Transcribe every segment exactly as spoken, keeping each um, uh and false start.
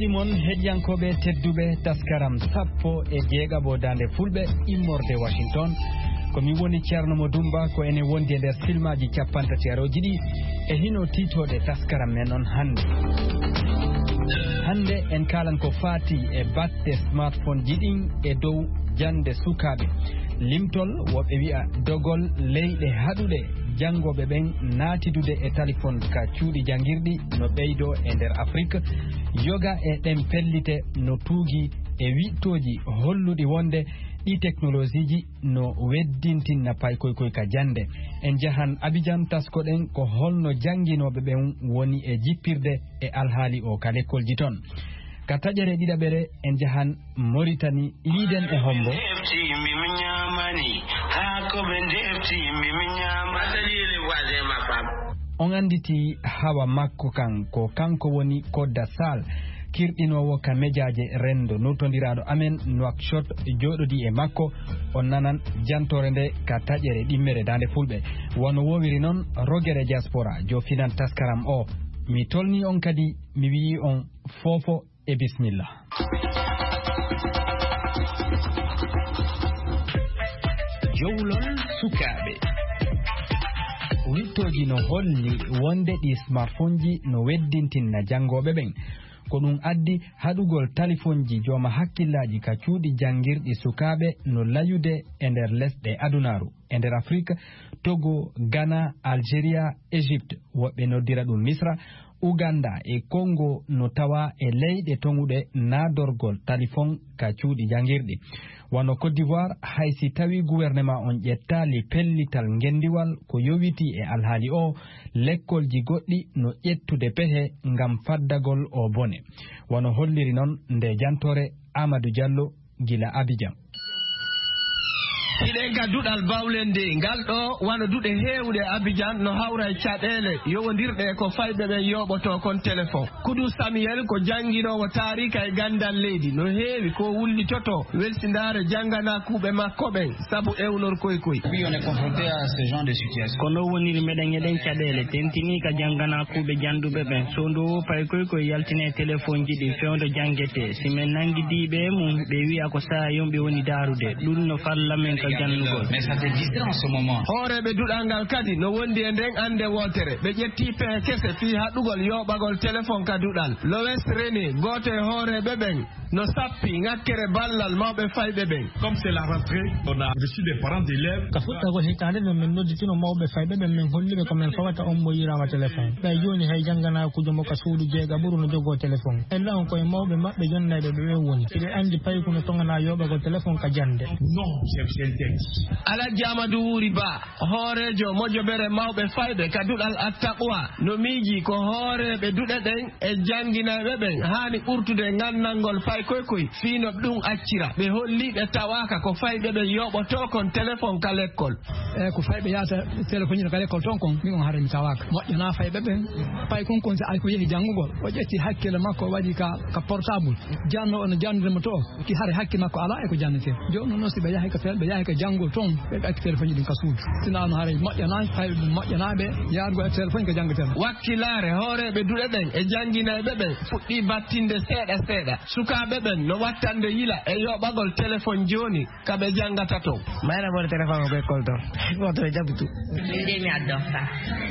Simon, heɗiyankooɓe tedduɓe, taskaram sappo e jeegaɓo daande fulɓe immorde Washington. Ko mi woni Ceerno Mo Dumba, ko enen wondi e nder silmaaji cappantatirooji ɗi e hino tiitooɗe taskaram men on hannde. Hannde en kaalan ko faati e batte smartphone ji ɗin e dow jannde sukaaɓe. Limtol, woɓɓe wi'a dogol leyɗe haɗuɗe janngooɓe ɓen naatidude e talifon ka cuuɗi janngirɗi no ɓeydoo e nder Afrik. Yoga e ɗen pellite no tuugi e wiɗtooji holluɗi wonde ɗi teknolosiiji no weddintinna paykoy koy ka jannde. En njahan Abijan, taskoɗen ko holno jannginooɓe ɓen woni e jippirde e alhaali o ka lekkolji ton. Ka taƴere ɗiɗaɓere en njahan Moritani, yiiden e hombo. On annditi hawa makko kan, ko kanko woni Kodda Sal, kirɗinoowo ka mejaaje renndo, nultondiraaɗo amen Nouakchott, jooɗodii e makko. On nanan jantoore nde ka taƴere ɗimmere Daande Fulɓe. Wano woowiri non, Rogere Diaspora joofinan taskaram o. Mi tolni on kadi, mi wi'i on foofo e bismillah. Jowlol sukaaɓe. Wiɗtooji no holli wonde ɗi smartphone ji no weddintinna janngooɓe ɓen. Ko ɗum addi haɗugol talifonji jooma hakkillaaji ka cuuɗi janngirɗi sukaaɓe no layude e nder lesɗe adunaaru. E nder Afrik, Togo, Ghana, Algeria, Égypte, woɓɓe noddira ɗum Misra, Uganda e Congo no tawa e leyɗe toŋuɗe naadorgol talifon ka cuuɗi janngirɗi. Wano Côte d'Ivoire, hay si tawi gouvernement on ƴettaali pellital ngendiwal ko yowitii e alhaali o, lekkolji goɗɗi no ƴettude pehe ngam faddagol o bone. Wano holliri non nde jantoore Amadou Diallo gila Abidjan. Hiɗen ka duɗal bawlende ngal ɗo, wano duɗe heewuɗe Abidjan, no hawra e caɗeele yowondirɗe e ko fayɓe ɓen yooɓotoo kon telefon. Kudu Samuel ko jannginoowo taariika e ganndal leydi, no heewi ko wullitotoo welsindaare jannganaakuuɓe makko ɓen sabu ewnorkoy koy. Oui, on est confronté à ce genre de situation. Ko no woniri, meɗen eɗen caɗeele tentinii ka jannganaakuuɓe jannduɓe ɓen. So ndowoo paykoy koy yaltine e telefonji ɗi fewndo janngetee. Si men nanngidii ɓe e mum, ɓe wi'a ko saayon ɓe woni daarude. Ɗum no falla men ka jannugol. Mais ça fait dix ans en ce moment. Hooreeɓe duɗal ngal kadi no wondi e nden annde wootere. Ɓe ƴettii pehe kese fii haɗugol yooɓagol telefon ka duɗal. Lois René, gooto e hooreeɓe ɓen, no sappi ŋakkere ballal mawɓe fayɓe ɓen. Comme c'est la rentrée, on a reçu des parents d'élèves. Ka fuɗɗagol hitaande nden, min nodditino mawɓe fayɓe ɓen, min holli ɓe ko min fawata on mo yiraama telefon. Ɓay jooni hay jannganaakuujo mo ka suudu jeegaɓuru no jogoo telefon. En ɗon koye mawɓe maɓɓe jonnayɓe ɓe ɓen woni. Hiɗe anndi payku no toŋanaa yooɓagol telefon ka jannde. Non, c'est, c'est un texte. Alhaji Amadou Wuri Ba, hooreejo mojobere mawɓe fayɓe ka duɗal Attaqwa, no miijii ko hooreeɓe duɗe ɗen e jannginayɓe ɓen haani ɓurtude ngannangol paykoy koy fii no ɗum accira. Ɓe holli ɓe tawaaka ko fayɓe ɓen yooɓotoo kon telefon ka lekkol. E ko fayɓe yahata telefonji ka lekkol ton kon, min on haray mi tawaaka. Moƴƴanaa fayɓe ɓen. Paykun kon si ay ko yehi janngugol, o ƴetti hakkille makko, o waɗi ka, ka portable. Janno on jannde mo to, ki hare hakke makko alaa e ko jannetee. Jooni noon si ɓe yahi ka fel-, ɓe yahi ka janngol ton, ɓe ɓe acci telefonji ɗin ka suudu. Sinaa no haray moƴƴanaani, fayɓe ɓen moƴƴanaaɓe yaarugol e telefonji ka janngetee. Wakkilaare hooreeɓe duɗe ɗen e jannginayɓe ɓen fuɗɗii battinde seeɗa seeɗa. Sukaaɓe ɓen no wattande yila e yooɓagol telefon jooni ka ɓe janngata ton. Mayra mboɗo téléphone ko école ton. Woto e jaɓtu. Min de mi addorta.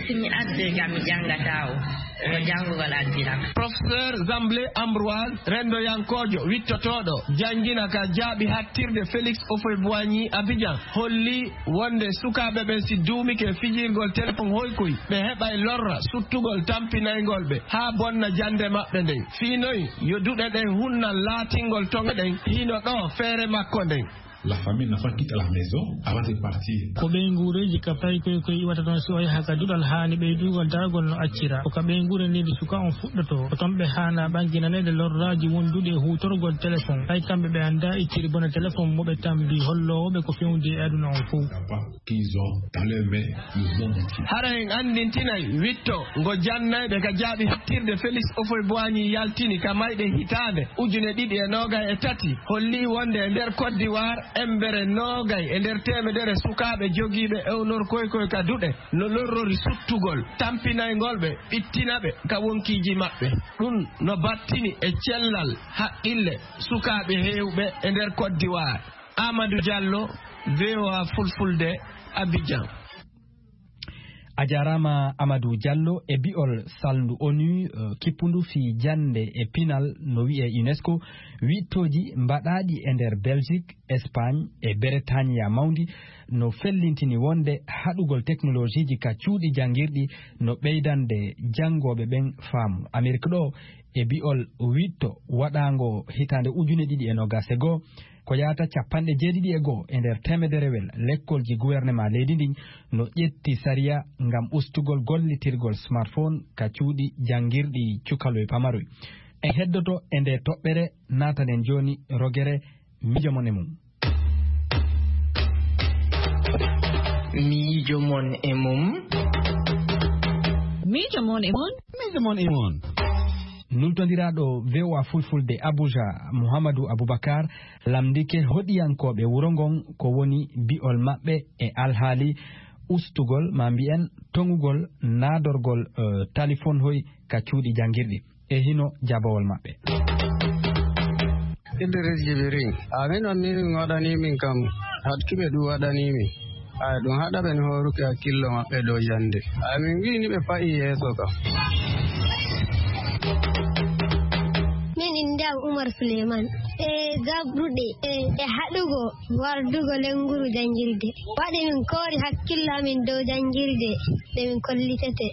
Si mi addoy kam mi janngataa o. Ko janngugol addiram. Professeur Zamblé Ambroise, renndoyankoojo wittotooɗo, janngina ka jaaɓi hattirde Félix Houphouët-Boigny Abidjan, holli wonde sukaaɓe ɓen si duumike fijirgol téléphone hoykoy, ɓe heɓay lorra suttugol tampinayngol ɓe haa bonna jannde maɓɓe nden. Fii noy yo duɗe ɗen hunnan laatingol toŋe ɗen hino ɗoo feere makko nden. La famille n'enfant quitte la maison avant de partir. Ko ɓeynguureeji ka paykoy koy iwata toon si o yaha ka duɗal haani ɓeydugol daragol no accira. Ko ka ɓeynguure nde suka on fuɗɗotoo. Ko toon ɓe haana ɓanginanede lorraaji wonduɗi e huutorgol téléphone. Hay kamɓe ɓe anndaa ittiri bone téléphone mo ɓe tambi holloowo ɓe ko fewndi e aduna on fow. Qu'ils ont dans leur main le monde entier. Hara en anndintinay witto ngo jannayɓe ka jaaɓi hattirde Félix Houphouët-Boigny yaltini ka mayɗe hitaande ujune ɗiɗi e noogay e tati, holli wonde e nder Côte d'Ivoire, Embere noogay e nder teemedere sukaaɓe jogiiɓe ewnorkoykoy ka duɗe no lorrori suttugol, tampinayngol ɓe, ɓittina ɓe ka wonkiiji maɓɓe. Ɗum no battini e cellal haqqille sukaaɓe heewɓe e nder Côte d'Ivoire. Amadou Diallo, V O A Fulfulde, Abidjan. A jaaraama Amadou Diallo. E bi'ol salndu onu, eh, kippundu fii jannde e pinal no wi'ee UNESCO, wiɗtooji mbaɗaaɗi e nder Belgique, Espagne e Bretagne Mawndi no fellintini wonde haɗugol teknolojiiji ka cuuɗi janngirɗi no ɓeydande janngooɓe ɓen faamu. Amerik ɗoo, e bi'ol wiɗto waɗaango hitaande ujune ɗiɗi e noogas e goo, ko yaata cappanɗe jeeɗiɗi e goo e nder teemederewel lekkolji guwernemaa leydi ndin no ƴetti sariya ngam ustugol gollitirgol smartphone ka cuuɗi janngirɗi cukaloy pamaroy. En heddoto e nde toɓɓere, naatanen jooni rogere miijo mon e mum. Miijo mon e mum. Miijo mon e mum. Miijo mon e mum. Nultondiraaɗo V O A Fulfulde Abuja, Muhammadu Abubakar, lamndike hoɗiyankooɓe wuro ngon ko woni bi'ol maɓɓe e alhaali ustugol, maa mbi'en toŋugol naadorgol, eh, talifonhoy ka cuuɗi janngirɗi. E hino jabawol maɓɓe. Idris Jibirin, amin on ni min waɗani min kam, haɗki ɓe ɗum waɗani min. Ay, ɗum haɗa ɓe ni hooruki hakkillo maɓɓe dow jannde. Ay, min wi'i ni ɓe fa'i yeeso kam. Min innde am Umar Suleiman. E gabruɗe, e, e haɗugo wardugo lennguru janngirde. Waɗi min koori hakkillo amin dow janngirde nde min kollitete.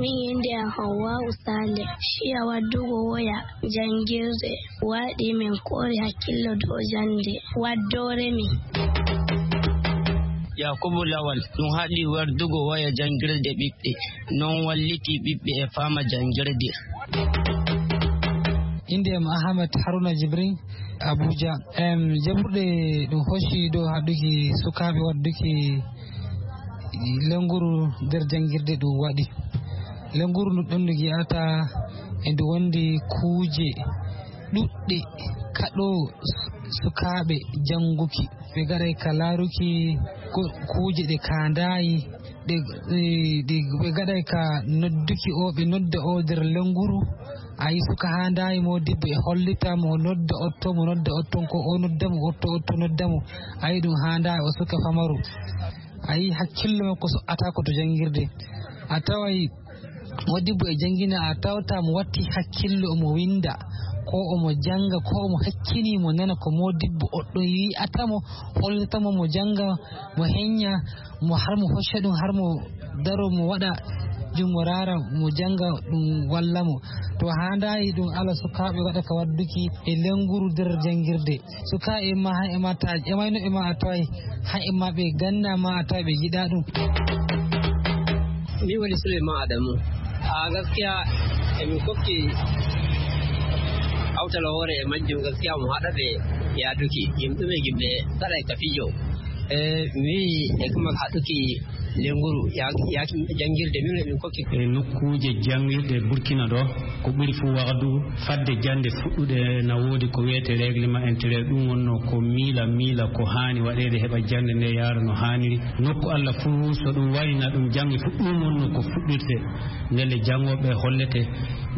Min innde am Hawwa'u Sale. Ciya waddugo woya janngirde waɗi min koori hakkillo dow jannde waddoore mi. Yakubu Lawal, ɗum haɗi wardugo woya janngirde ɓiɓɓe, non walliti ɓiɓɓe e faama janngirde. Innde am Ahmed Haruna Jibrin, Abuja. Em, jaɓɓuɗe ɗum hocci dow haɗuki sukaaɓe wadduki lennguru nder janngirde ɗum waɗi. Lennguru ndu ɗon ndu yi'ata e ndu wondi kuuje ɗuɗɗe kaɗo sukaaɓe jannguki. Ɓe gaɗay ka laaruki ko-, kuuje ɗe kaandaayi, ɗe, ɗe, ɗe ɓe gaɗay ka nodduki o, ɓe nodda o nder lennguru. A yi suka haandaayi mo debbo e hollita mo nodda otto, mo nodda otton ko o nodda mo otto, otto nodda mo. A yi ɗum haandaayi o suka famaru. A yi hakkillo makko so ata ko to janngirde. A taway modibbo e janngina, a tawta mo watti hakkillo omo winnda, ko omo jannga, ko omo hakkini mo nana ko modibbo oɗɗo yi'ata mo, hollita mo, mo jannga, mo heñña, mo har mo hocca ɗum, har mo daro, mo waɗa junngo raara, mo jannga ɗum walla mo. To haandaayi ɗum ala sukaaɓe waɗa ka wadduki e lennguru nder janngirde. Suka e ma, ha e ma ta, e ma no e ma a taway, ha e ma ɓe ganna ma a taway ɓe yiɗa ɗum. Min woni Suleyman Adamu. A gaskiya, e min kokki awtal hoore e majjum, gaskiya mo haɗa ɓe yaaduki. Yim ɗume yimɓe saɗa e ka fijo. E mi wi'i e kuma haɗuki lenguru ya, ya janngirde min e min kokki. E nokkuuje janngirɗe Burkina ɗo, ko ɓuri fuu wahdu fadde jannde fuɗɗude na woodi ko wiyetee règlement intérieur. Ɗum wonnoo ko miila, miila ko haani waɗeede heɓa jannde nde yaara no haaniri. Nokku Allah fuu, so ɗum wayna ɗum janngi fuu, ɗum wonnoo ko fuɗɗirte. Ndelle janngooɓe hollete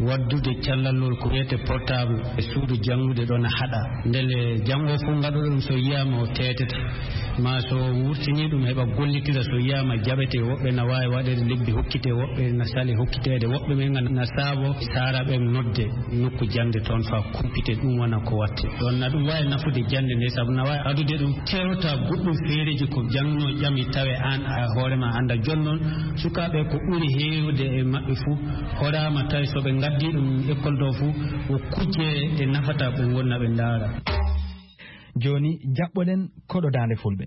waddude callallol ko wiyetee portable e suudu janngude ɗo na haɗa. Ndelle janngo fuu ngaɗuɗo ɗum so yiyaama o teetete. Ma so wurtini ɗum heɓa gollitira, so yiyaama jaɓete, woɓɓe na waawi waɗeede lebbi hokkite, woɓɓe na sali hokkiteede, woɓɓe ɓen na saabo saara ɓen nodde nokku jannde toon faa kumpite, ɗum wona ko watte. Ɗon na ɗum waawi nafude jannde nde, sabu na waawi adude ɗum tewta goɗɗum feereeji ko jannginoo ƴami tawe aan a hoore ma annda. Jooni noon sukaaɓe ko ɓuri heewde e maɓɓe fuu horaama tawi so ɓe ngaddii ɗum école ɗo fuu ko kujje ɗe nafata ɓe ngonna ɓe ndaara. Jooni, jaɓɓoɗen koɗo daande fulɓe.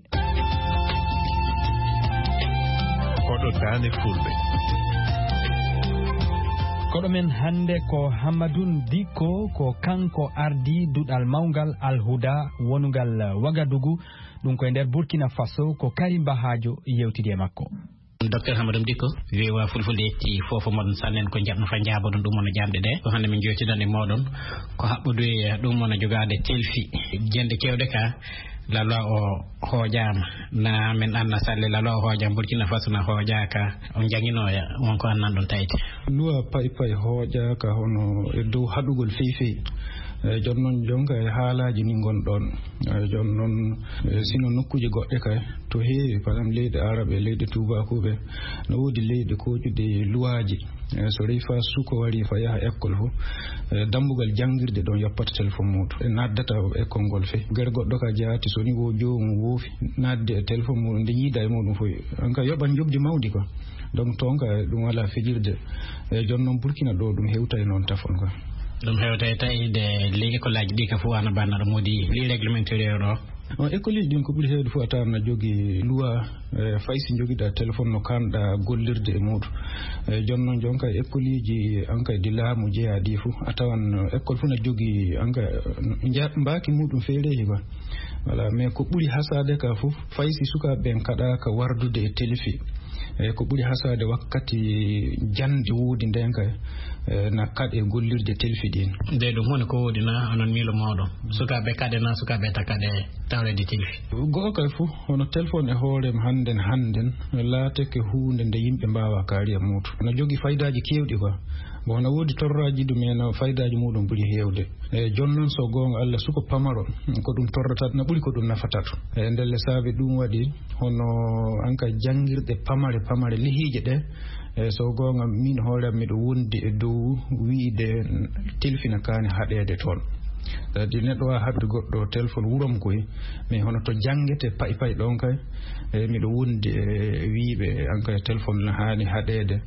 Koɗo daande fulɓe. Koɗo men hannde ko Hammadun Dikko, ko kanko ardii duɗal mawngal Alhuda wonungal Wagadugu, ɗum ko e nder Burkina Faso, ko Karim Bahajo yewtidi e makko. Docteur Hamadou Dikko, V O A Fulfulde yetti fof moɗon, sannen ko jaɓno fa jaabodon ɗum wona jaamɗe ɗe. Ko hannde min jootidan e mooɗon ko haɓɓodu e ɗum wona jogaade telfi. Jende kewɗe ka, la loi o hooƴaama. Na min anna salle la loi o hooƴaama, Burkina Faso na hooƴaaka. On jannginooya, won ko annan ɗon tayti. Loi pay pay hooƴaaka hono e dow haɗugol fey fey. E, jooni noon, jonka e haalaaji ni ngon ɗon. E, jooni noon, e, sino nokkuuje goɗɗe kay, to heewi, par exemple, leyɗe Arab e leyɗe Tuubaakuuɓe, no woodi leyɗe kooƴuɗe luwaaji. E, so rewi faa suko wari, faa yaha école fof, e, dambugal janngirde ɗon yoppata téléphone muuɗum. E, naddata école ngol fey. Gere goɗɗo ka jaati, so ni wo joomum woofi, nadde e téléphone muuɗum, nde yiida e muuɗum fof. An ka yoɓan njoɓdi mawndi quoi. Donc, toon ka ɗum alaa fijirde. E, jooni noon Burkina ɗo, ɗum hewta e noon tafon quoi. Ɗum hewta e tawi de ley école aji ɗi ka fof ana banna ɗo modi ley règlement intérieur ɗo. On école ɗin ko ɓuri heewde fof a tawan na jogi loi, e, fay si jogiɗa téléphone no kanɗa gollirde e muuɗum. E, jooni noon jonka école ji an kay ɗi laamu jeyaa ɗi fof a tawan, e, école fof na jogi an kay, e, nja-, mbaaki muuɗum feereehi quoi. Voilà, mais ko ɓuri hasaade ka fof, fay si sukaaɓe ɓen kaɗaaka wardude e telfi, e, ko ɓuri hasaade wakkati jannde woodi nden kay, e, na kaɗe gollirde telfi ɗin. Nde ɗum woni ko woodi na onon miilo mooɗon? Sukaaɓe kaɗe na sukaaɓe ta kaɗe tawreede telfi? Go'o kay fof, hono téléphone e hoore mum hannden, hannden, laateke huunde nde yimɓe mbaawa kaari e muuɗum. Na jogi faydaaji keewɗi quoi. Bon, na woodi torraaji ɗum, mais na faydaaji muuɗum ɓuri heewde. E, jooni noon, so goonga Allah, suko pamaro, ko ɗum torrata, na ɓuri ko ɗum nafata ɗum. E, ndelle saabi ɗum waɗi, hono an ka janngirɗe pamare, pamare lehiije ɗe, e, so goonga, min hoore am, miɗo wondi e dow wiide telfi na kaani haɗeede toon. Kadi neɗɗo waawa haɗude goɗɗo téléphone wurom koy, mais hono to janngete pay pay ɗon kay, e, miɗo wondi e wiiɓe an kay téléphone na haani haɗeede.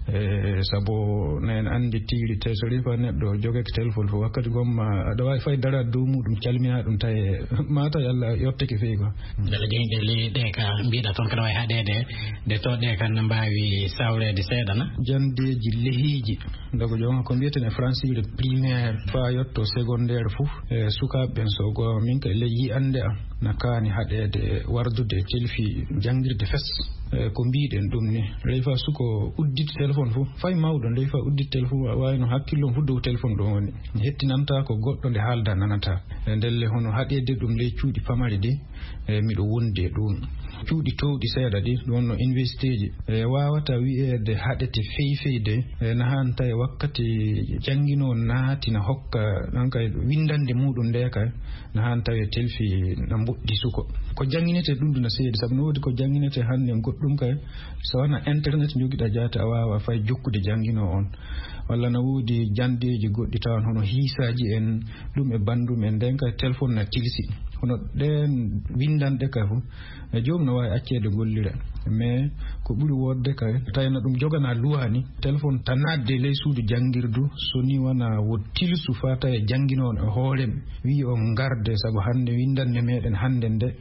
E, sabu na en anndi tiri te so rewi faa neɗɗo jogake téléphone fof, wakkati gomma aɗa waawi fay daraade dow muuɗum, calminaa ɗum, tawi maa tawi Allah yottake fey quoi. Mbele jeyɗe ley ɗe ka mbiɗa toon kaɗa waawi haɗeede, nde to ɗe kan na mbaawi sawreede seeɗa na? Janndeeji lehiiji, ndogo jooma ko mbiyeten e français le primaire faa yotto secondaire fof, e, sukaaɓe ɓen so goonga min kay ley yi'annde am na kaani haɗeede wardude e telfi janngirde fes. E, ko mbiɗen ɗum ni, rewi faa suko udditi téléphone fof, fay mawɗo, rewi faa udditi téléphone, wa-, waawi no hakkillo fof dow téléphone ɗon woni. Hettinanta ko goɗɗo nde haalda nanata. E, ndelle hono haɗeede ɗum ley cuuɗi pamari ɗi, e, miɗo wondi e ɗum. Cuuɗi toowɗi seeɗa ɗi, ɗum wonno universitéji, e, waawata wi'eede haɗete fey fey de, e, na haan tawi wakkati jannginoo naati na hokka, ɗan kay winndannde muuɗum nde kay, na haan tawi telfi na mboɗɗi suko. Ko jannginetee ɗum ɗum na seedi, sabu no woodi ko jannginetee hannde goɗɗum kay, so wona internet njogiɗa jaate a waawa fay jokkude jannginoo on. Walla na woodi janndeeji goɗɗi tawan hono hiisaaji en, ɗum e banndum en, nden kay téléphone na tilsi. Hono ɗeen winndanɗe kay fof, e joom no waawi acceede gollira. Mais ko ɓuri woodde kay, tawi na ɗum jogana luwaani, téléphone tan naatde ley suudu janngirdu, so ni wona wo tilsu faa tawi jannginooɗo e hoore mum, wi'i on ngarde, sabu hannde winndanɗe meɗen hannde nde,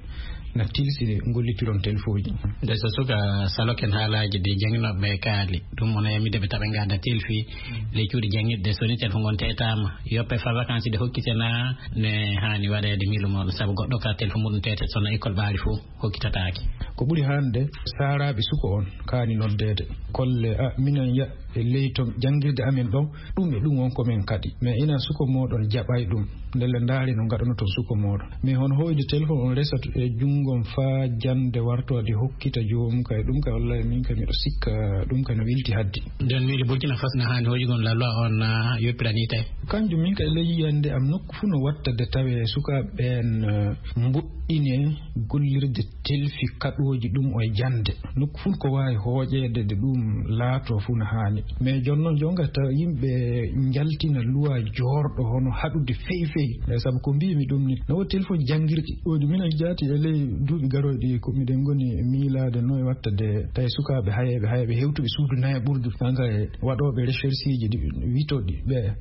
na tilsi gollitiron telfooji. Nde so suka saloken haalaaji ɗi jannginooɓe ɓe kaali, ɗum wona yamide ɓe taɓe ngadda telfi, ley cuuɗi janngirɗe, so ni telfo ngon teetaama, yoppe fa vacances ɗe hokkite na ne haani waɗeede miilu mooɗon, sabu goɗɗo ka telfo muɗum teete, so no école ɓaari fof hokkitataake. Ko ɓuri hannde, saaraaɓe suko on kaani noddeede. Kolle, a, minen ya, e ley to janngirde amen ɗon, ɗum e ɗum won ko min kaɗi. Mais ina suko mooɗon jaɓay ɗum. Ndelle ndaari no ngaɗanoton suko mooɗon. Mais hono hoyde téléphone on resat e junngo on faa jannde wartoode hokkita joomum kay, ɗum kay wallahi min kay miɗo sikka ɗum kay no wilti haddi. Nden miijo Burkina Faso na haani hoyugol la loi on na yoppirani tawi? Kanjum min kay ley yiyannde am nokku fuu no watta de tawe sukaaɓe ɓeen, eh, mboɗɗine gollirde telfi kaɗooji ɗum o e jannde. Nokku fof ko waawi hooƴeede de ɗum laatoo fof no haani. Mais jooni noon, jooni tawa yimɓe njaltina luwa joorɗo hono haɗude fey fey. Eh, sabu ko mbiimi ɗum ni, no woodi téléphone janngirɗi. Woodi minen jaati e ley duuɓi garooɗi ko miɗen ngoni miilaade no e watta de tawi sukaaɓe hayeeɓe, hayeeɓe hewtuɓe suudu nayaɓurdu. Kanka e waɗooɓe rechercheji ɗi witoɗi ɓe.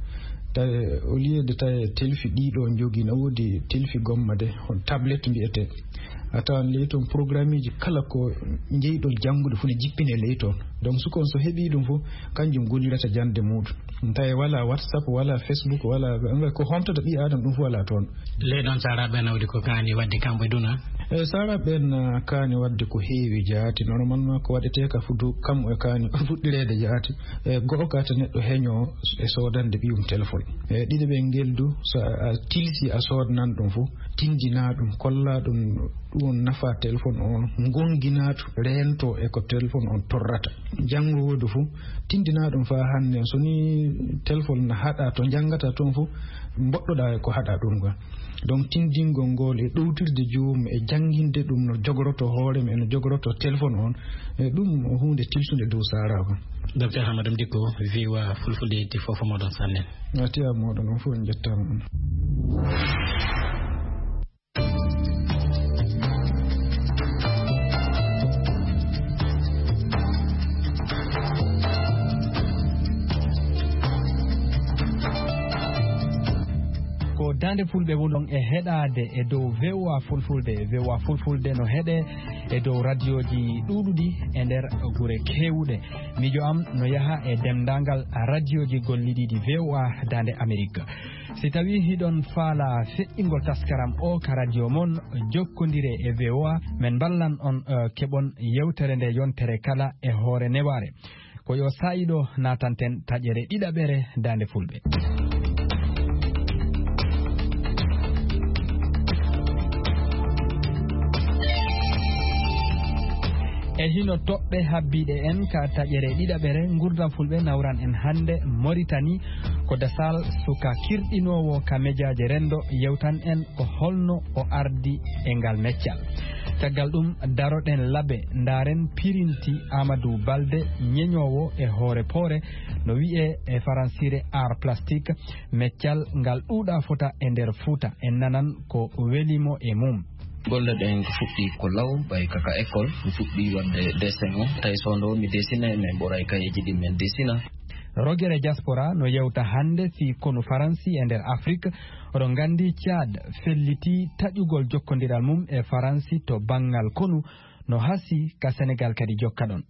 Tawi au lieu de tawi telfi ɗiɗo jogi, no woodi telfi gomma de, on tablette mbiyetee. A tawan ley toon programmeji kala ko jeyɗon janngude fof ne jippine ley toon. Donc suka on so heɓii ɗum fof, kanjum gollirata jannde muuɗum. Tawi wala WhatsApp, wala Facebook, wala ko homtata ɓii aadama, ɗum fof wala toon. Ley ɗon saaraaɓe nawdi ko kaani waɗde kamɓe duna? E saaraaɓe ɓeen, ah, kaani waɗde ko heewi jaati. Normalement ko waɗetee ka fudu kam e kaani fuɗɗireede jaati. E go'o ka ta neɗɗo heño e soodande ɓiyum téléphone. E ɗiɗi ɓe ngeldu, so a tilsi a soodnan ɗum fof, tindina ɗum, kolla ɗum, ɗum nafa téléphone on, ngongina to, reento e ko téléphone on torrata. Janngo woodu fof, tindina ɗum faa hannde. So ni téléphone na haɗa to njanngata toon fof, mboɗɗoɗaa e ko haɗa ɗum ga. Donc tindingol ngol e ɗowtirde joomum e jannginde ɗum no jogoroto hoore mum e no jogoroto téléphone on, e ɗum ko huunde tilsunde dow saaraaɓe. Docteur Hamadou Dicko, V O A Fulfulde yetti fof moɗon sannen. A tiya moɗon on fof en njettaama on. Ko Daande Fulɓe wulon e heɗaade e dow V O A Fulfulde. V O A Fulfulde no heɗe e dow radioji ɗuuɗuɗi e nder gure keewuɗe. Miijo am no yaha e denndaangal radioji gollidiiɗi V O A Daande Amerik. Si tawii hiɗon faala feƴƴingol taskaram o ka radio mon, jokkondire e V O A, men mballan on, eh, keɓon yewtere nde yontere kala e hoore newaare. Ko yo saa'i ɗo naatanten taƴere ɗiɗaɓere Daande Fulɓe. E hino toɓɓe habbiiɗe en ka taƴere ɗiɗaɓere, Ngurdam Fulɓe nawran en hannde Moritani. Ko Dasal suka kirɗinoowo ka mejaaje renndo yewtan en ko holno o ardi e ngal meccal. Caggal ɗum, daroɗen labe, ndaaren pirinti Amadou Balde, ñeñoowo e hoore poore, no wi'e e faransiire art plastique, meccal ngal ɗuuɗa fota e nder Fuuta. En nanan ko welimo e mum. Golle ɗen ko fuɗɗi ko law, ɓay kaka école, mi fuɗɗi waɗde dessin o. Tawi so ndo mi dessinay, min ɓoray kayeji ɗi min dessina. Rogere Diaspora no yewta hannde fii konu Faransi e nder Afrik. Oɗon nganndi Tchad felliti taƴugol jokkondiral mum e Faransi to banngal konu, no hasi ka Senegal kadi jokka ɗon.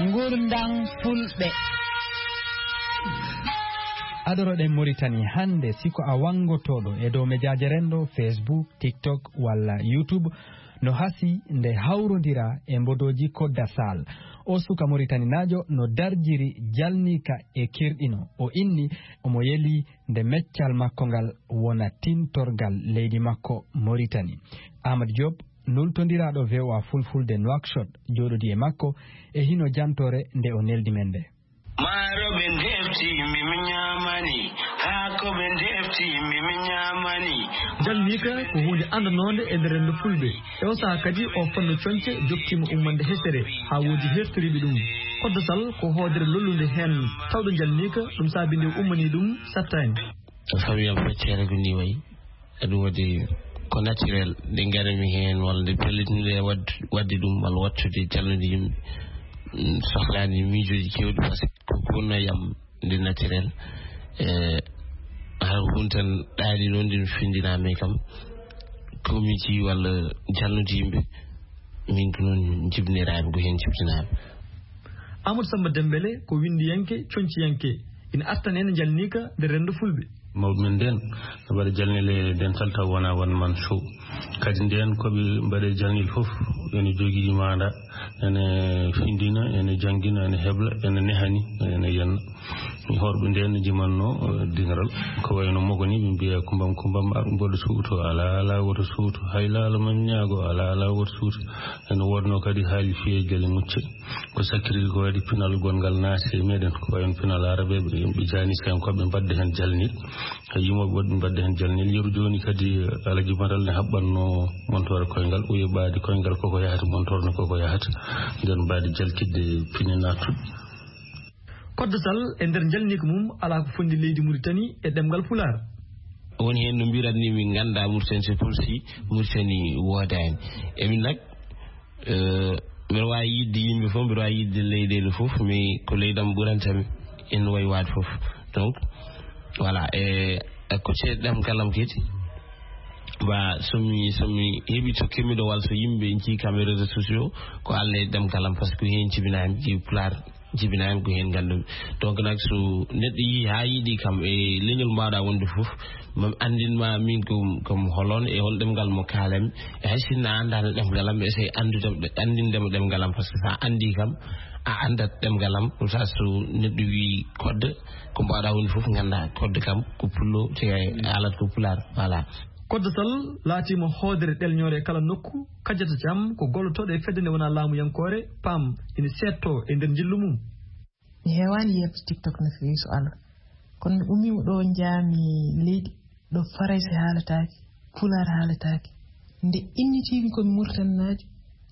Ngurndam Fulɓe. Adoroɗen Moritani hannde, si ko a wanngotooɗo e dow mejaaje renndo, Facebook, TikTok walla YouTube, no hasi nde hawrondira e mbodooji Kodda Sal. O suka Moritaninaajo no darjiri jalniika e kirɗino. O inni omo yeli nde meccal makko ngal wona tintorgal leydi makko Moritani. Amadou Diop, nultondiraaɗo V O A Fulfulde Nouakchott, jooɗodii e makko e hino jantoore nde o neldi men nde. Maaro ɓe ndefti, mi mi ñaamani. Haako ɓe ndefti, mi mi ñaamani. Jalniika ko huunde anndannoonde e nder renndo Fulɓe. E oo sahaa kadi, oo fannu coñce jokkiima ummande hesere, haa woodi heertoriiɓe ɗum. Kodda Sal ko hoodere lollunde heen, tawde jalniika, ɗum saabi nde ummanii ɗum satta en. Famille am feccere ko ni wayi. Eɗum waɗi ko naturel, nde ngarmi heen, walla nde pellitinɗe waɗ-, waɗde ɗum, walla wattude callude yimɓe. Mm, sohlaani miijooji keewɗi, par ce que ko kunnayam nde naturel. E, hara ko ɗum tan ɗaali noon, nde mi findinaa mi kam, committee walla jalnude yimɓe, min ko noon jibiniraaɓe, ko heen jibinaaɓe. Amadou Samba Dembele ko winndiyanke, coñciyanke, ina artan en jalniika nder renndo Fulɓe. Mawɓe men ndeen, no mbaɗa jalnile dental taw wonaa won man show. Kadi ndeen ko ɓe mbaɗe jalnil fof, ene jogii maanda, ene findina, ene janngina, ene hebla, ene nehani, ene yenna. Mi horɓe ndeen jimanno, eh, dingiral. Ko wayno mogoni, ɓe mbiya kumbam, kumbam, ar mboɗo suuto, alaa, alaa woto suuto. Hay laalo men ñaago, alaa, alaa woto suuto. Ene wodno kadi haali fiyee gele mucce. Ko sakkiri ko waɗi pinal gonngal naati e meɗen, ko wayen pinal arabeɓe, yimɓe jaanisyankooɓe mbaɗde heen jalnil. Hay yimooɓe woɗɓe mbaɗde heen jalnil. Yeru jooni kadi, Alaji Maral ne haɓɓanno montoore koyngal, uye ɓaadi koyngal koko yahata, montoore ne koko yahata. Nden mbaadi jalkitde pine naattuɗe. Kodda Sal e nder jalniika mum alaa ko fondi leydi Muritani e ɗemngal Pulaar. Woni heen no mbiratni min nganndaa Muritani, c'est comme si Muritani woodaani. E min nak, eh, mbeɗa waawi yiɗde yimɓe fof, mbeɗa waawi yiɗde leyɗeele fof, mais ko leydi am ɓuranta mi, en wayi waade fof. Donc, voilà, e, e ko ceeɗu ɗam kalam kadi. Ba, so mi, so mi heɓi to keɓmiɗo walla so yimɓe njii kam e réseaux sociaux, ko Allah e ɗemngal am, par ce que heen jibinaa en ƴiw Pulaar, jibinaa en ko heen nganndumi. Donc nak, so neɗɗo yii haa yiɗi kam e leñol mbaawɗaa wonde fof, mami anndin ma min ko, ko mi holon e hol ɗemngal mo kaalami. E hay sinno a anndaano ɗemngal am, mi essay anndude, anndinde mo ɗemngal am, par ce que so a anndii kam, a anndat ɗemngal am. Ɗum sa so neɗɗo wii kodde, ko mbaawɗaa wonde fof nganndaa kodde kam ko pullo, te haalata ko Pulaar. Voilà. Kodda Sall laatiima hoodere ɗelñoore e kala nokku, kajjata jam ko gollotooɗo e fedde nde wonaa laamuyankoore, PAM, ina seedtoo e nder njillu mum. Mi heewaani yeeɓde TikTok no feewi so Allah. Kono mi ummiima ɗo njaami leydi, ɗo Farayse haalataake, Pulaar haalataake. Nde innitiimi ko mi Muritaninaajo,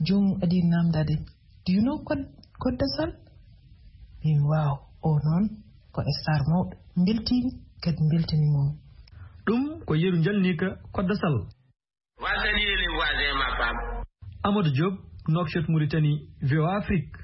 joomum adii naamndaade mi. Do you know Kod-, Kodda Sall? Mbimi, "Waaw, o noon ko star mawɗo." Mbeltiimi, kadi mbeltaniima mo. Ɗum ko yeru njalniika Kodda Sall. Voici les voisins, ma femme. Amadou Diop, Nouakchott, Mauritanie, V O A Afrique.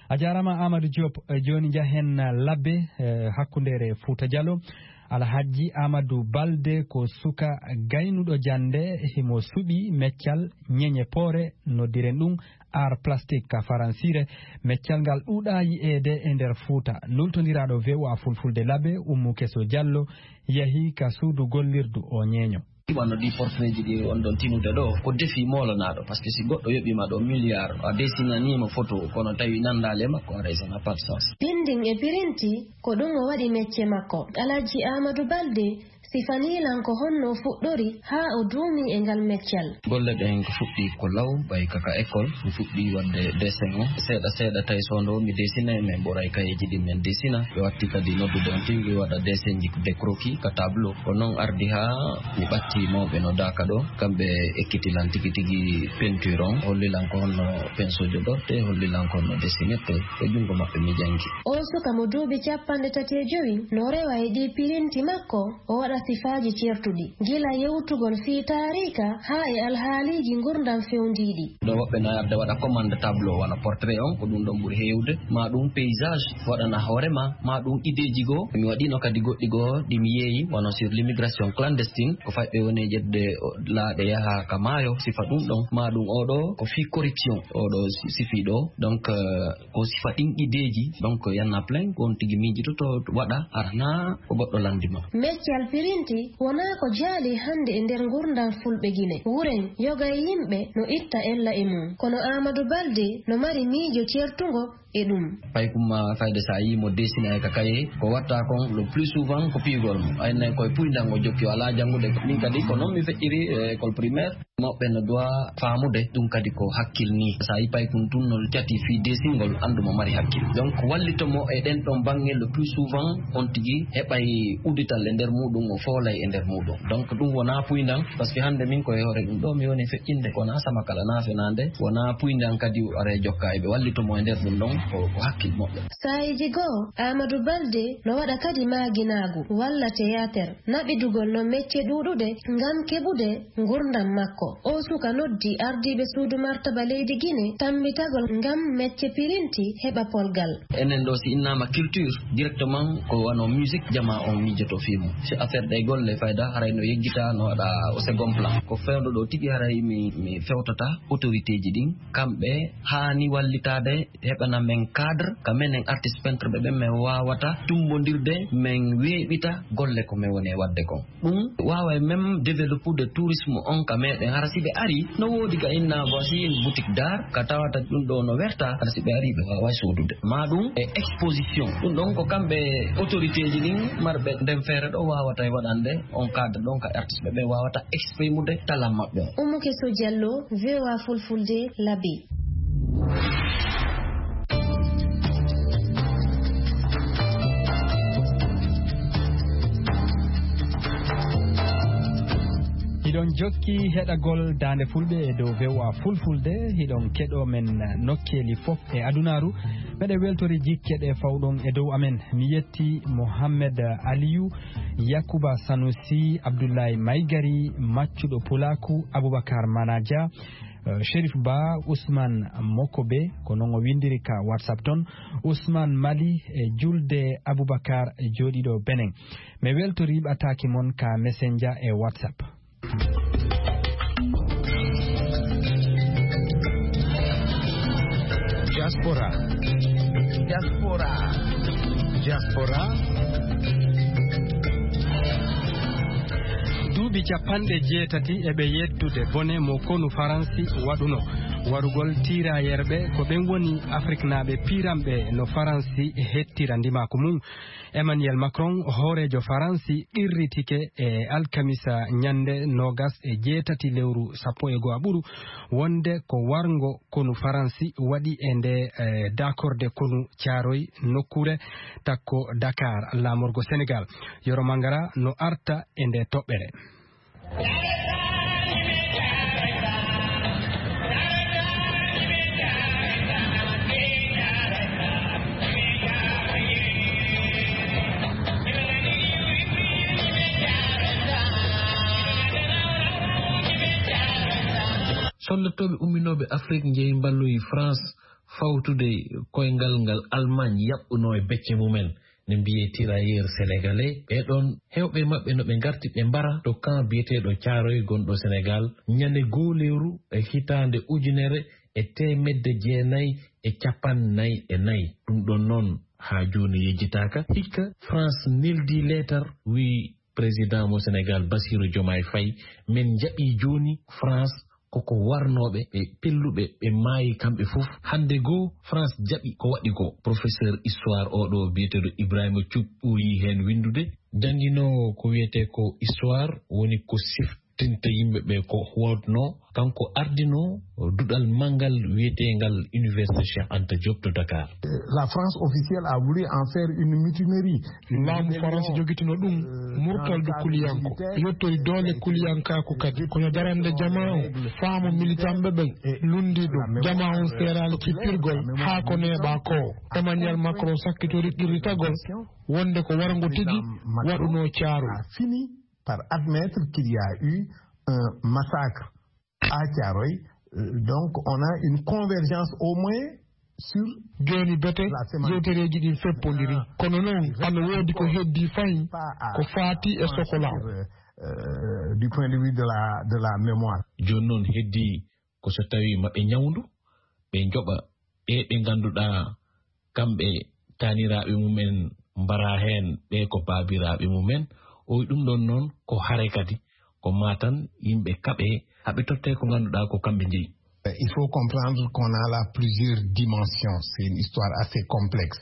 A jaaraama, Amadou Diop. Eh, jooni njahen, eh, labbe, eh, hakkundeere Fuuta Jallo. Alhajji Amadou Balde ko suka gaynuɗo jannde, himo suɓi meccal ñeñe poore, noddiren ɗum art plastique ka faransiire. Meccal ngal ɗuuɗaa yi'eede e nder Fuuta. Lultondiraaɗo V O A Fulfulde labbe, Ummu Keso Jallo, yahi ka suudu gollirdu o ñeeño. Wano ɗi portrait ji ɗi on ɗon tinude ɗo, ko defi moolanaɗo, parce que si goɗɗo yoɓima ɗo milliard, a dessinanima photo, kono tawi nandaali e makko, haray ça n'a pas de sens. Binding e pirinti, ko ɗum o waɗi mecce makko. Alhaji Amadou Balde sifanii lan ko honno o fuɗɗori haa o duumi e ngal meccal. Golle ɗen ko fuɗɗi ko law, ɓay kaka école, mi fuɗɗi waɗde dessin o. Seeɗa seeɗa tawi so ndo mi dessinay, min ɓuray kayeji ɗi min dessina. Ɓe watti kadi noddude on tigi waɗa dessin ji, des croquis ka tableau. Ko noon ardi haa mi ɓatti mawɓe no Daaka ɗo. Kamɓe ekkiti lan tigi tigi peinture on, holli lan ko honno pinceau joɗorte, holli lan ko honno dessinirte. Ko junngo maɓɓe mi janngi. O suka mo duuɓi capanɗe tati e jowi no rewa e ɗi pirinti makko, o waɗa sifaaji ceertuɗi, gila yewtugol fii taariika haa e alhaaliiji ngurndan fewndiiɗi. Ɗo woɓɓe na arde waɗa commande tableau, wano portrait on, ko ɗum ɗon ɓuri heewde, ma ɗum paysage, waɗana hoore ma, ma ɗum ideeji goo. Mi waɗino kadi goɗɗi goo ɗi mi yeeyi, wano sur l'immigration clandestine, ko fayɓe woni e ƴettude o, laaɗe yaha ka maayo, sifa ɗum ɗon, ma ɗum oɗo ko fii corruption, oɗo si-, sifii ɗo. Donc, euh, ko sifa ɗin ideeji, donc, y en a plein, ko on tigi miijitoto waɗa, arana ko goɗɗo lanndi ma. Meccal pirinti wonaa ko jaali hannde e nder ngurndan Fulɓe Gine. Wuren, yoga e yimɓe no itta ella e mum. Kono Amadou Balde no mari miijo ceertungo e ɗum. Paykum ma fayde sa yii mo dessina e ka kaye, ko watta kon le plus souvent ko piyugol mo. Ay nay koye puyndan o jokki, o alaa janngude. Min kadi ko noon mi feƴƴiri e école primaire. Mawɓe no doit faamude ɗum kadi ko hakkil ni. Sa yi paykun tun no cati fii desingol, anndu mo mari hakkil. Donc, wallito mo e ɗen ɗon baŋŋe le plus souvent, on tigi heɓay uddital e nder muɗum, o foolay e nder muɗum. Donc, ɗum wonaa puyndan, parce que hannde min ko e hoore ɗum ɗo mi woni feƴƴinde, ko wonaa sama kala naa fenaande, wonaa puyndan kadi are jokka e ɓe wallito mo e nder ɗum ɗon, ko, ko hakkil moƴƴo. Saayiiji goo, Amadou Balde no waɗa kadi maaginaagu walla théâtre, naɓidugol no mecce ɗuuɗuɗe ngam keɓude ngurndan makko. O suka noddi ardiiɓe suudu martaba leydi Gine tammbitagol ngam mecce pirinti heɓa polgal. Enen ɗo si innaama culture, directement ko wano musique jama on miijoto fii mum. Si affaire ɗe golle fayda haray no yeggita, no waɗa au second plan. Ko fewndo ɗo tigi haray mi, mi fewtata autorité ji ɗin, kamɓe haani wallitaade heɓana men cadre, ka menen artiste peintre ɓe ɓen, men waawata tummbondirde, men weeɓita golle ko men woni e waɗde kon. Ɗum waaway même développude tourisme on ka meɗen. Hara si ɓe ari, no woodi ka inna voici une boutique d'art, ka tawata ɗum ɗo no werta, hara si ɓe ari, ɓe waaway soodude. Ma ɗum e exposition. Ɗum ɗon ko kamɓe autorité ji ɗin marɓe nden feere ɗo waawata e waɗande on cadre ɗon ka artiste ɓe ɓen waawata exprimude talan maɓɓe on. Umu Keso Jallo, V O A Fulfulde, Labi. Hiɗon jokki heɗagol Daande Fulɓe e dow V O A Fulfulde, hiɗon keɗo men nokkeeli fof e adunaaru. Meɗen weltori jikke ɗe fawɗon e dow amen. Mi yetti Mohammed Aliyu, Yakuba Sanusi, Abdullahi Maigari, Maccuɗo Pulaaku, Abubakar Manaja, eh, Sherif Ba, Usman Mokobe, ko non o windiri ka WhatsApp ton, Usman Mali e Julde Abubakar jooɗiiɗo Benin. Mi weltori ɓataake mon ka Messenger e WhatsApp. Diaspora. Diaspora. Diaspora. Duuɓi capanɗe jeetati e ɓe yettude bone mo konu Faransi waɗuno. Warugol tiirayerɓe ko ɓen woni Afriknaaɓe piiranɓe no Faransi hettira ndimaaku mum. Emmanuel Macron, hooreejo Faransi, qirritike e alkamisa ñannde noogas e jeetati lewru sappo e go'aɓuru wonde ko warngo konu Faransi waɗi e nde, eh, dakorde konu Caaroy nokkuure takko Dakar, laamorgo Senegal. Yoro Mangara no arta e nde toɓɓere. Sollottooɓe umminooɓe Afrik njehi mballoyi France fawtude koyngal ngal Allemagne yaɓɓunoo e becce mumen, ne mbiyee tirailleurs sénégalais. Ɓee ɗoon, heewɓe maɓɓe no ɓe ngarti ɓe mbara to camp biyeteeɗo Caaroy gonɗo Senegal, ñande goo lewru e hitaande ujunere e teemedde jeenayi e capanɗe nayi e nayi. Ɗum ɗoon noon haa jooni yejjitaaka. Hikka France neldi leetar, wiyi président mo Senegal, Bassirou Diomaye Faye, men njaɓii jooni France koko warnooɓe ɓe pelluɓe, ɓe maayi kamɓe fof. Hannde goo, France jaɓi ko waɗi ko. Professeur histoire oɗo biyeteeɗo Ibrahima Thioub ɓooyi heen winndude. Jannginoowo ko wiyetee ko histoire, woni ko siftinta yimɓe ɓe ko waɗnoo. Kanko ardinoo duɗal manngal wiyeteengal Université Cheikh Anta Diop to Dakar. La France officielle a voulu en faire une mutinerie. Laamu Faransi jogitino ɗum murtal du kuliyanko, yottori doole kuliyankaaku kadi. Kono darande jamaa on, faamu militanɓe ɓen lundi ɗum. Jamaa on seeraali cippirgol haa ko neeɓaa ko. Emmanuel Macron sakkitori qirritagol wonde ko warngo tigi waɗunoo Caaroy. Fini par admettre qu'il y a eu un massacre à Thiaroye. Euh, donc, on a une convergence au moins sur. Jooni bete, yewtereeji ɗin feppondiri. Kono noon, ano woodi ko heddii fayin ko faati e sokola. Euh, du point de vue de la, de la mémoire. Jooni noon heddii ko so tawii maɓe ñawndu, ɓe njoɓa ɓe ɓe ngannduɗaa kamɓe taaniraaɓe mumen mbaraa heen, ɓe ko baabiraaɓe mumen. O wi ɗum ɗoon noon ko hare kadi, ko maa tan yimɓe kaɓe, haɓe tottee ko ngannduɗaa ko kamɓe njeyi. Il faut comprendre qu'on a là plusieurs dimensions. C'est une histoire assez complexe.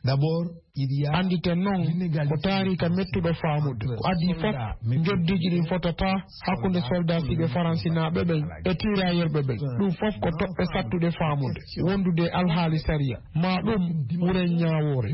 D'abord, il y a. Annditen noon, ko taariika mettuɗo faamude. Ko adii fof, njoddiiji ɗin fotataa hakkunde soldaasiiɓe faransinaaɓe ɓen e tiiraayerɓe ɓen. Ɗum fof ko toɓɓe sattuɗe faamude, wondude e alhaali sariya. Ma ɗum wuren ñaawoore.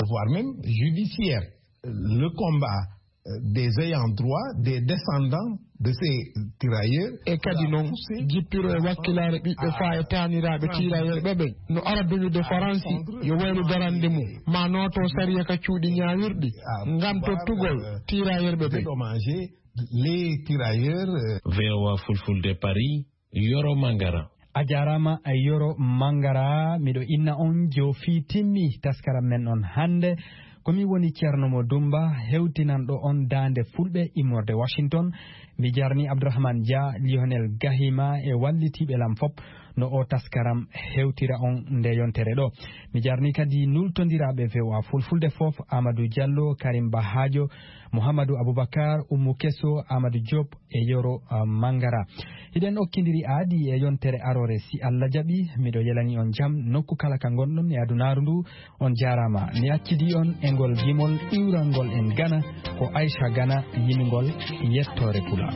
Voire même judiciaire. Le combat, euh, des ayants droit, des descendants de ces tirailleurs. E kadi noon, jippiro e wakkilaare ɓiɓɓe faa e taaniraaɓe tiiraayerɓe ɓen no ara duñude Faransi yo waylu darande mum, ma nooto sariya ka cuuɗi ñaawirɗi ngam tottugol tiiraayerɓe ɓen. Dédommager les tirailleurs, euh. V O A Fulfulde Paris, Yoro Mangara. A jaaraama, Yoro Mangara. Miɗo inna on joofi timmi taskaram men on hannde. Ko mi woni Ceerno Mo Dumba, hewtinanɗo on daande Fulɓe immorde Washington. Mi jarni Abdourahmane Dia, Lionel Gahima e wallitiiɓe lam fop no o taskaram hewtira on nde yontere ɗo. Mi jarni kadi nultondiraaɓe V O A Fulfulde fof, Amadou Diallo, Karim Bahajo, Mouhamadou Aboubacar, Oumou Kesso, Amadou Diop, e Yoro, ah, Mangara. Hiɗen okkindiri aadi e yontere aroore, si Allah jaɓi. Miɗo yelani on jam nokku kala ka ngonɗon e adunaaru ndu. On jaaraama. Mi accidi on e ngol gimol iwrangol en Gana, ko Aisha Gana yimingol yettoore Pulaar.